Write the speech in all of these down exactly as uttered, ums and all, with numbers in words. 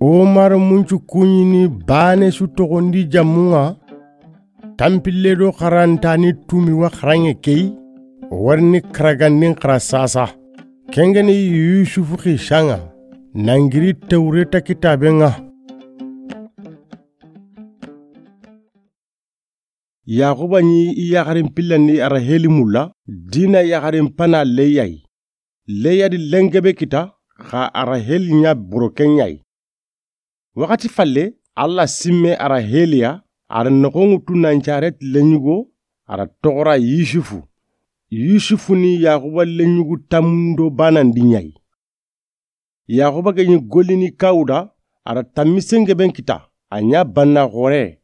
O mara muncu kuɲini baane su toxondi jamunŋa, tanpille do xarantani tumi wa xaranŋe key, o warini karagandin xara sasa. Kengeni Yusufu xisanŋa, nangiri Tewreta kitabenŋa. Yaxuba ɲi i yaxarin pillandi Araheli mulla, Dina yaxarin pana Leya yi. Leya di lengebe kita, xa Araheli ɲa boroken ɲa yi. Waxati falle, Alla simme Araheli ya, a da noxon ŋutu nan caret leɲugo, a da toxora Yusufu. Yusufu ni Yaxuba leɲugu tamundo banandi ɲa yi. Yaxuba ge ɲi gollini kawuda, a da tammi sengeben kita, a ɲa banna xore.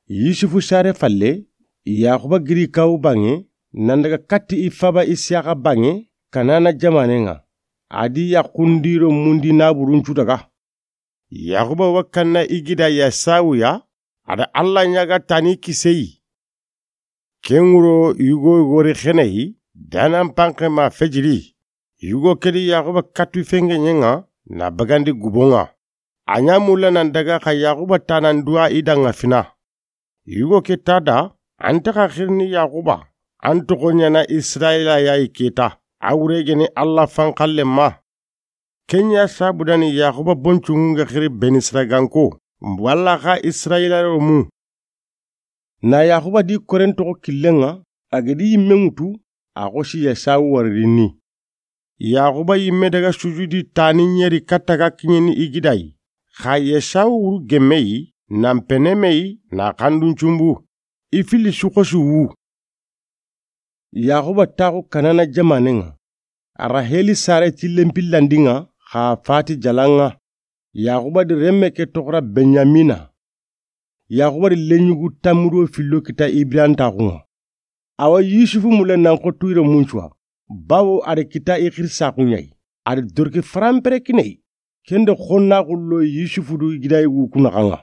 Yusufu sare falle, Yaxuba giri kawu banŋe, nan daga katti i faba Isiyaxa banŋe, Kanana jamanen ŋa. A di yaxundiro mundi naburuncu daga. Yaxuba wa kanna i gida Yasawu ya, a da Alla ɲaga tani kiseyi. Ken wuro yugo gori xeneyi, danan panxe ma fejiri. Yugo kedi Yaxuba katu fengeɲenŋa, na bagandi gubonŋa. A ɲa mulla nan daga xa Yaxuba tanan duwa i danŋa fina. Yugo ke ta da, an ta xa xirini Yaxuba, an toxo ɲana Israyila ya yi keta, a wure geni Alla fanxallen ma. Ken ɲa sabudani Yaxuba boncuŋun ga xiri Benisiraganko, walla xa Israyila romu. Na Yaxuba di koren toxo killenŋa, a gedi yimme ŋutu, a xosi Yasawu waririni. Yaxuba yimme daga sujudi tani ɲeri katta ga kiɲeni i gida yi. Xa Yasawu wuru gemme yi, nan pene me yi, na xandun cumbu. I fili su xosi wu. Yaxuba taxu Kanana jamanen ŋa. Araheli sare tillen pillandin ŋa, xa fati jalan ŋa. Yaxuba di remme ke toxora Benyamina. Yaxuba di leɲugu tamudo fillo kita Ibrantaxun ŋa. Awa Yusufu mulle nan xo tuyire muncuwa, bawo a da kita i xirisaxu ɲa yi. A da doroke faranpere kine yi. Ken do xonnaxu lo Yusufu do i gida yugu ku naxan ŋa.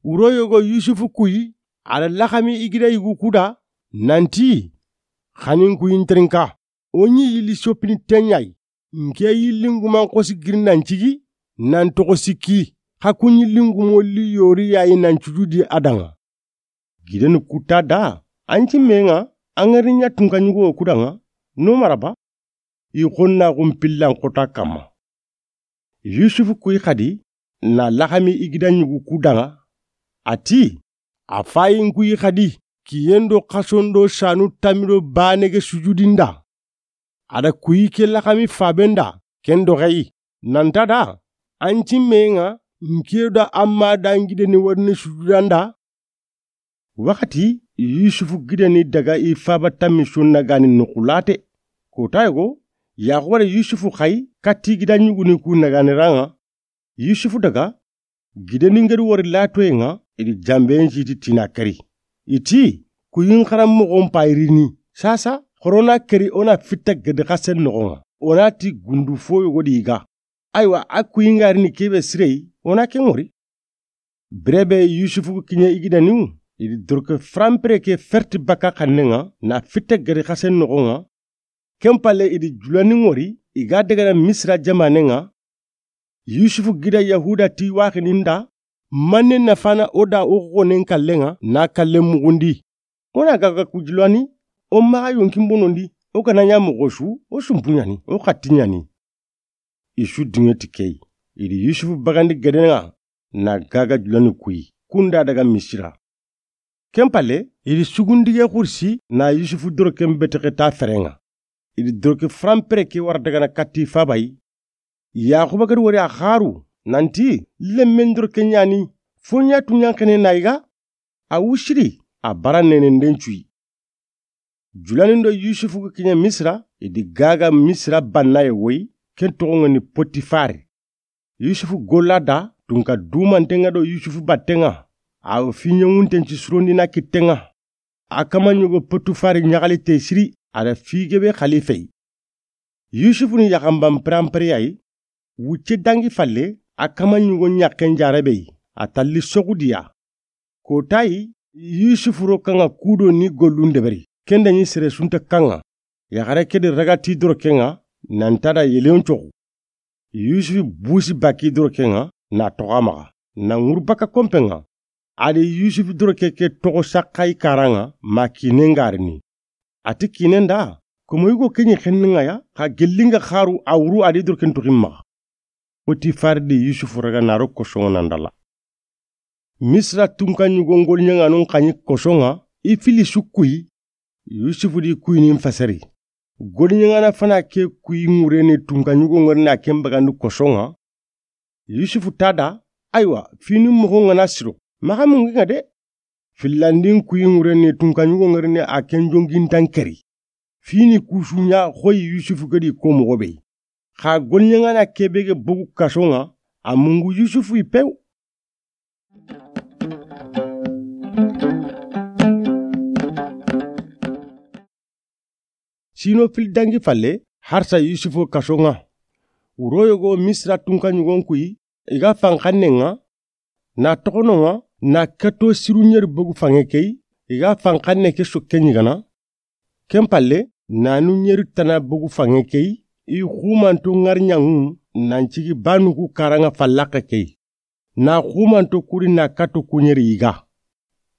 Wuro yogo Yusufu kuyi, a da laxami i gida yugu ku da, nanti, xanin kuyin terinka, o ɲi yilli sopini ten ɲa yi, nke yillin guman xosi giri nan cigi, nan toxo sikki, xa kun yillin gumo li yori ya yi nan cujudi a danŋa. Gideni ku ta da, an cimme ŋa, an ŋari ɲa tunka ɲugo ku danŋa, no maraba, i xonnaxun pillan xota kamma. Yusufu kuyi xadi, na laxami i gida ɲugu ku danŋa, a ti, a fayin kuyi xadi, kiyen do xason do sanu tamido bane ge sujudinda. A da kuyi ke laxami faben da, ken do xeyi, nanta da, an cimme ŋa, nke da amma da ngideni warini sujudanda. Waxati Yusufu gideni daga i faba tammi sonna gani noxulate. Kota yogo, Yaxuba da Yusufu xayi katti gida ɲuguni ku nagani ranŋa. Yusufu daga, gideni ngeri wori latoyen ŋa, i di jamben siti tina keri. I ti, kuyin xaran moxon payirini. Sasa, xorona keri o na fitta gedi xasen noxon ŋa. O na ti gundu fo yogo di ga. Aywa, a kuyi nga rini kebe sirei, o na ke ŋori. Birebe Yusufu kiɲe i gidaniw, i di doroke faranpere ke ferti baka xannen ŋa, na fitte gedi xasen noxon ŋa. Ken palle i di julani ŋori, i ga dagana Misira jamanen ŋa. Yusufu gida Yahuda ti waxinin da, manne nafana o da o xonen kallen ŋa, na kallen muxundi. O na gaga ku julani, o maxa yonkin bonondi, o gana ɲa moxo su, o sumpu ɲani, o xatti ɲani. I su diŋe ti key. I di Yusufu bagandi geden ŋa, na gaga julani kuyi, kunda daga Misira. Ken palle, i di sugundige xursi, na Yusufu doroken betexe ta feren ŋa. I di doroke faranpere ke wara dagana katti faba yi. Yaxuba gedi wori a xaru, nanti, lemmen doroke ɲani, fo ɲa tu ɲanxene na yiga, a wusiri, a bara nenen den cuyi. Julanin do Yusufu ga kiɲe Misira, i di gaga Misira bannaye woyi, ken toxon ŋa ni Potifari. Yusufu golla da, tunka dumanten ŋa do Yusufu batten ŋa, a wo fi ɲeŋunten ci surondina kitten ŋa. A kama ɲogo Potifari ɲaxalite siri, a da fi gebe xalife yi. Yusufu ni yaxanban peranpereya yi, wucce dangi falle, a kama ɲugo ɲaxen jarebe yi, a talli soxudiya. Kotayi, Yusufu ro kaŋa kudo ni gollun deberi, kenda ɲi sere sunta kaŋa, yaxare kedi ragati doroken ŋa, nanta da yeleyon coxu. Yusufu busi baki doroke ŋa na toxo a maxa, na ŋuru baka konpe ŋa. A di Yusufu doroke ke toxo saxayi kara ŋa ma kine ŋa rini. A ti kinen da, komo yugo ke ɲi xenni ŋa ya, xa gelli ŋa xaru a wuru a di doroken toxi maxa. Potifari di Yusufu raga na ro koso ŋa na ndala. Misira tunka ɲugo ŋoliɲaŋanun xa ɲi koso ŋa, i fili su kuyi. Yusufu di kuyini n fasari. Goliɲaŋana fana ke kuyi ŋureni tunka ɲugo ŋari na ken bagandi koso ŋa. Yusufu ti a da, aywa, fini moxo ŋa na siro, maxa mungi ŋa de. Fillandin kuyi ŋureni tunka ɲugo ŋari ni a ken jongintan keri. Fini kusuɲa xoyi Yusufu gedi ko moxo be. Xa goliɲaŋana kebe ge bogu kaso ŋa, a mungu Yusufu i pew. Sino fili dangi falle, harsa Yusufu kaso ŋa. Wuro yogo Misira tunka ɲugon kuyi, i ga fanxanne ŋa, na toxono ŋa, na kato siru ɲeri bogu fanŋe key, i ga fanxanne ke sokke ɲigana. Ken palle, nanu ɲeri tana bogu fanŋe key, i xumanto ŋariɲaŋu, nan cigi banuku karaŋa fallaxe key. Na xumanto kuri na kato ku ɲeri yiga.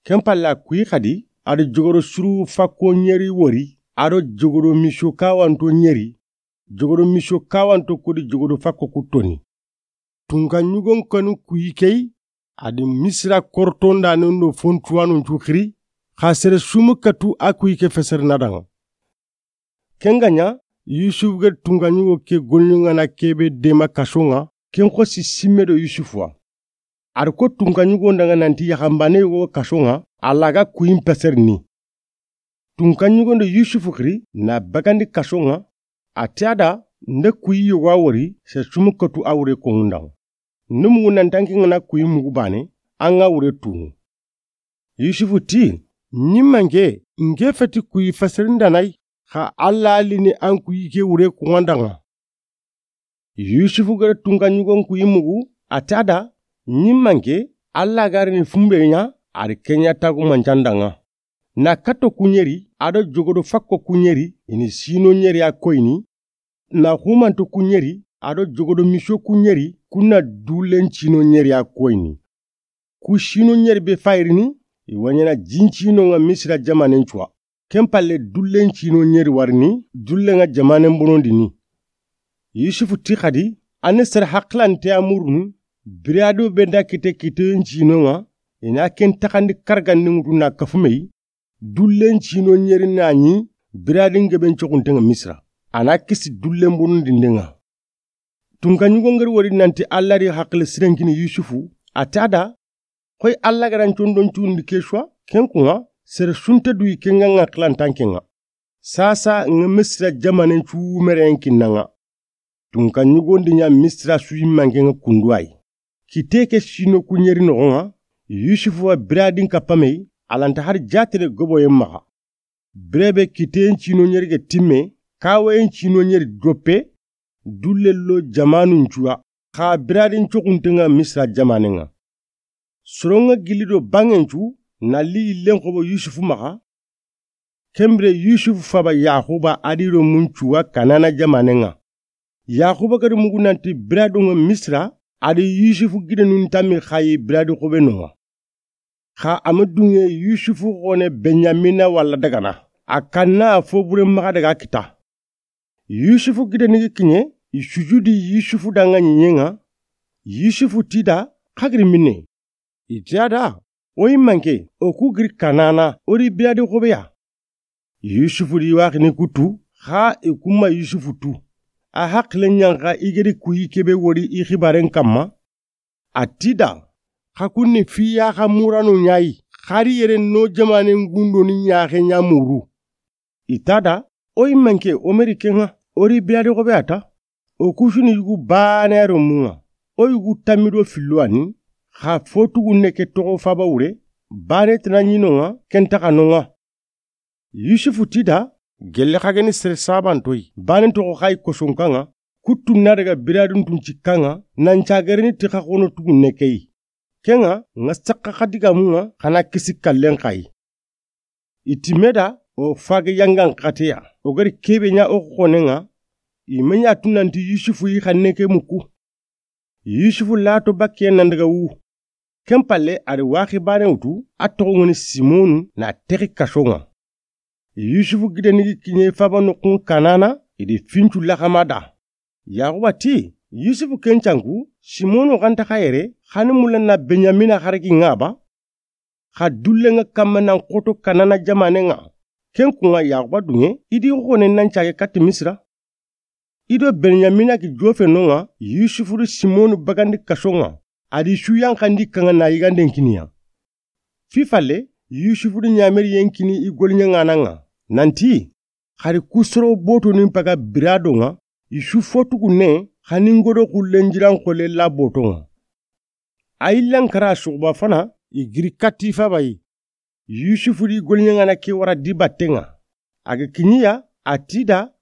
Ken palla kuyi xadi, a do jogoro suru fakko ɲeri wori, a do jogoro miso kawanto ɲeri, jogoro miso kawanto kudi jogoro fakko ku toni. Tunka ɲugon kanu kuyi key, a di Misira kortondanen do fontuwanun cu xiri, xa sere sumu katu a kuyi ke feseri na daŋa. Ken ga ɲa, Yusufu gedi tunka ɲugo ke goliɲaŋana kebe dema kaso ŋa, ken xosi simme do Yusufu wa. A ri ko tunka ɲugo ndaŋa nanti yaxanbane yogo kaso ŋa, a laga kuyin peserini. Tunka ɲugo ndo Yusufu xiri na bagandi kaso ŋa, a ti a da, nda kuyi yogo a wori, se sumu katu a wure koŋundaŋa. Nda mugu nanti an ke ŋa na kuyi mugu bane, an ŋa wure tunu. Yusufu ti, ɲimmanke, nke feti kuyi fasarindanayi, xa Alla lini an kuyi ke wure kuŋandaŋa. Yusufu gere tunka ɲugon kuyi mugu, a ti a da, ɲimmanke, Alla garini fumbe ɲa, a ri ke ɲa tagu mancandaŋa. Na kato ku ɲeri, a do jogodo fakko ku ɲeri, i ni sino ɲeri a koyini, na xumanto ku ɲeri, a do jogodo miso ku ɲeri, ku na dullen cino ɲeri a koyini. Ku sino ɲeri be fayirini, i wa ɲaana jincino ŋa Misira jamanen cuwa. Ken palle dullen cino ɲeri warini, dullen ŋa jamanen bonondini. Yusufu ti xadi, a ni sere haqilante a murunu, birado be nda kite kiteyen cino ŋa, i na ken taxandi karagandi ŋutu na kafumeyi, dullen cino ɲeri na ɲi biradin geben coxunten ŋa Misira. A na kisi dullen bonondinden ŋa. Tunka ɲugon geri wori nanti Alla ri haqile sirenkini Yusufu, a ti a da, xoyi Alla ga ra n condon cundi ke suwa, ken kuŋa, sere sunte duyi ken ŋa ŋa xilantan ken ŋa. Sasa ŋa Misira jamanen cu mereyen kinna ŋa. Tunka ɲugondi ɲa Misira su yimmanke ŋa kunduwayi. Kite ke sino ku ɲeri noxon ŋa, Yusufu wa biradin kappameyi, a lanta hari jatene goboyen maxa. Birebe kiteyen cino ɲeri ge timme, kawayen cino ɲeri doppe, dulle lo jamanun cuwa, xa biradin coxunten ŋa Misira jamanen ŋa. Soron ŋa gilli do banŋen cu, na li yillen xobo Yusufu maxa. Ken bire Yusufu faba Yaxuba a di do mun cuwa Kanana jamanen ŋa. Yaxuba gadi mugu nanti biradun ŋa Misira, a di Yusufu gidenun tammi xayi biradi xobe no ŋa. Xa a ma dunŋe Yusufu xone Benyamina walla dagana, a kanna a fo bure maxa daga kita. Yusufu gideni ga kiɲe, i sujudi Yusufu danŋa ɲiɲen ŋa. Yusufu ti da, xa giri minne? I ti a da, o yimmanke, o ku giri Kanana, o ri biradi xobe ya. Yusufu di waxini kutu, xa i kuma Yusufu tu. A haqile ɲanxa i gedi kuyi kebe wori i xibaren kamma. A ti da, xa kunni fi ya xa murano ɲayi, xari yere no jamanen gundo ni ɲaxe ɲa muru. I ta da, o yimmanke, o meri ken ŋa, o ri biradi xobe a ta. O kusuni yugu bane yaro mun ŋa. O yugu tammido filluwani, xa fotugu neke toxo faba wure, bane tana ɲino ŋa, ken taxa no ŋa. Yusufu ti da, gelle xa geni sere sabantoyi, bane toxo xayi kosonkan ŋa, kuttu na daga biradun tun cikkan ŋa, nan cagereni ti xa xono tugu nekeyi. Ken ŋa, ŋa saxa xa digamun ŋa, xa na kisi kallen xayi. I ti me da, o fage yangan xateya, o gari kebe ɲa o xonen ŋa, I me ɲa tu nanti Yusufu yi xanne ke muku. Yusufu lato bakke nan daga wu. Ken palle a ri waxi bane wutu a toxo ŋoni Simonu na texi kaso ŋa. Yusufu gideni gi kiɲe faba noxun Kanana i di fincu laxama da. Yaxuba ti, Yusufu ken canku, Simonu xanta xa yere, xani mulla na Benyamina xaragi ŋa ba? Xa dulle ŋa kamma nan xoto Kanana jamane ŋa. Ken kuŋa Yaxuba duŋe, i di xone nan cage katti Misira. I do Benyamina gi jofe no ŋa, Yusufu di Simonu bagandi kaso ŋa. A di su yanxandi kaŋa na yiganden kiniya. Fi falle, Yusufu di ɲameri yen kini i goliɲaŋana ŋa. Nanti, xari kusoro boto nin paga birado ŋa, i su fotugu ne, xani ŋodo xullen jiran xolle la boto ŋa. A yillan kara suxuba fana, i giri katti faba yi. Yusufu di goliɲaŋana ke wara di batte ŋa. A ga kiɲiya, a ti da,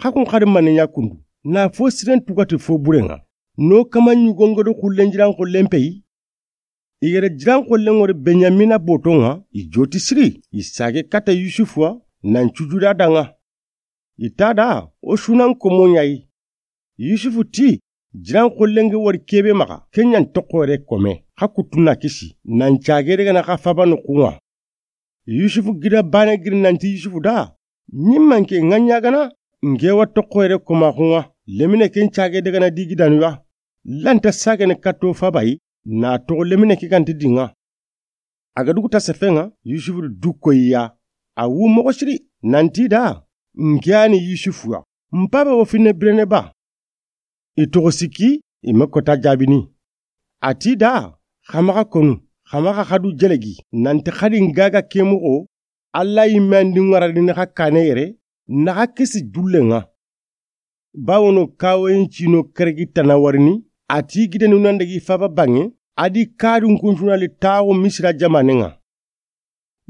xa kun xari mane ɲa kundu. Na fo siren tugati fo bure ŋa. No kama ɲugo ŋodo xullen jiran xollen peyi. I gere jiran xollen ŋori Benyamina boto ŋa, i joti siri, i sage kata Yusufu wa, nan cujuda da ŋa. I ta da, o sunan komo ɲa yi. Yusufu ti, jiran xollen ge wari kebe maxa, ken ɲan toxoyere kome, xa kuttu na kisi, nan cage daga na xa faba noxu ŋa. Yusufu gida bane giri nanti Yusufu da, ɲimmanke ŋa ɲagana, nke wa toxoyere komaxu ŋa, lemine ken cage daga na di gidanu ya. Lanta sagene katto faba yi, na toxo lemine ke ganti di ŋa. A ga dugu ta sefe ŋa, Yusufu du koyi ya. A wu moxo siri, nanti da, nke yani Yusufu ya. N paba wo finne birene ba? I toxo sikki, i me kota jabini. A ti da, xa maxa konu, xa maxa xadu jelegi, nanti xadi n gaga ke moxo, Alla yimme andi ŋaradini xa kane yere, na xa kisi dulle ŋa. Bawono kawoyin cino keregi tana warini, a ti gidenu nan dagi faba banŋe, a di kadun kuncunali taxu Misira jamane ŋa.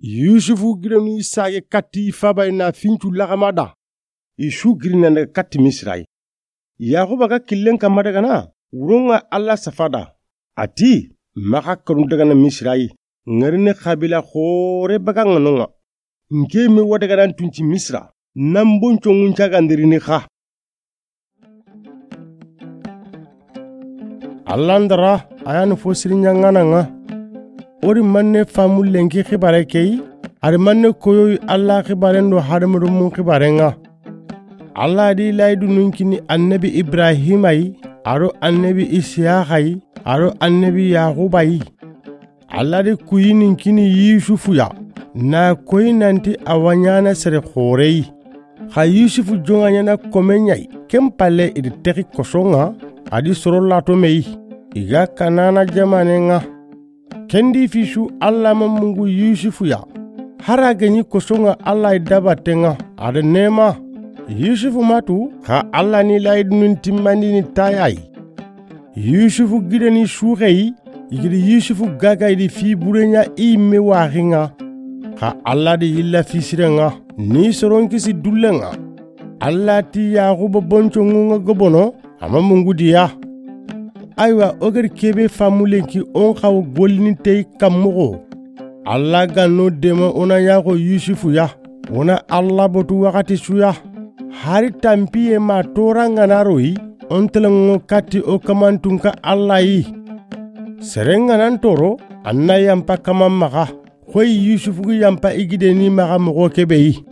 Yusufu gidenu i sage katti i faba i na fincu laxama da. I su giri nan daga katti Misira yi. Yaxuba ga killen kamma daga na, wuron ŋa Alla safa da. A ti, maxa kanu daga na Misira yi, ŋarini xabila xore baga ŋa no ŋa. Nke me wa daga nan tunci Misira, nan bonco ŋun cagandirini xa. Alla ndara, a yani fo siri ɲaŋana ŋa. O ri manne famu lenki xibare ke yi, a ri manne koyoyi Alla xibaren do hadamarenmun xibaren ŋa. Alla di layidunun kini annabi Ibrahima yi, a do annabi Isiyaxa yi, a do annabi Yaxuba yi. Alla di kuyinin kini Yusufu ya, na koyi nanti a wa ɲana sere xore yi. Xa Yusufu joŋa ɲana komen ɲa yi, ken palle i di texi koso ŋa, a di soro lato me yi. I ga Kanana jamane ŋa. Ken di fi su Alla ma mungu Yusufu ya. Hari a ga ɲi koso ŋa Alla i dabate ŋa, a da nema. Yusufu ma tu, xa Alla ni layidunun timmandini taya yi. Yusufu gideni suxe yi, i gidi Yusufu gaga i di fi bure ɲa i yimme waxi ŋa. Xa Alla di yilla fi sire ŋa, ni soron kisi dulle ŋa. Alla ti Yaxuba bonco ŋun ŋa gobono, a ma mungu di ya. Aywa, o gari kebe famu lenki on xawo golini tey kammoxo. Alla ga no dema o na yaxo Yusufu ya. O na Alla botu waxati su ya. Hari tampiye ma tora ŋa na royi, on telenŋo katti o kamantunka Alla yi. Seren ŋa nan toro, an na yampa kaman maxa. Xoyi Yusufu gi yampa i gideni maxa moxo kebe yi.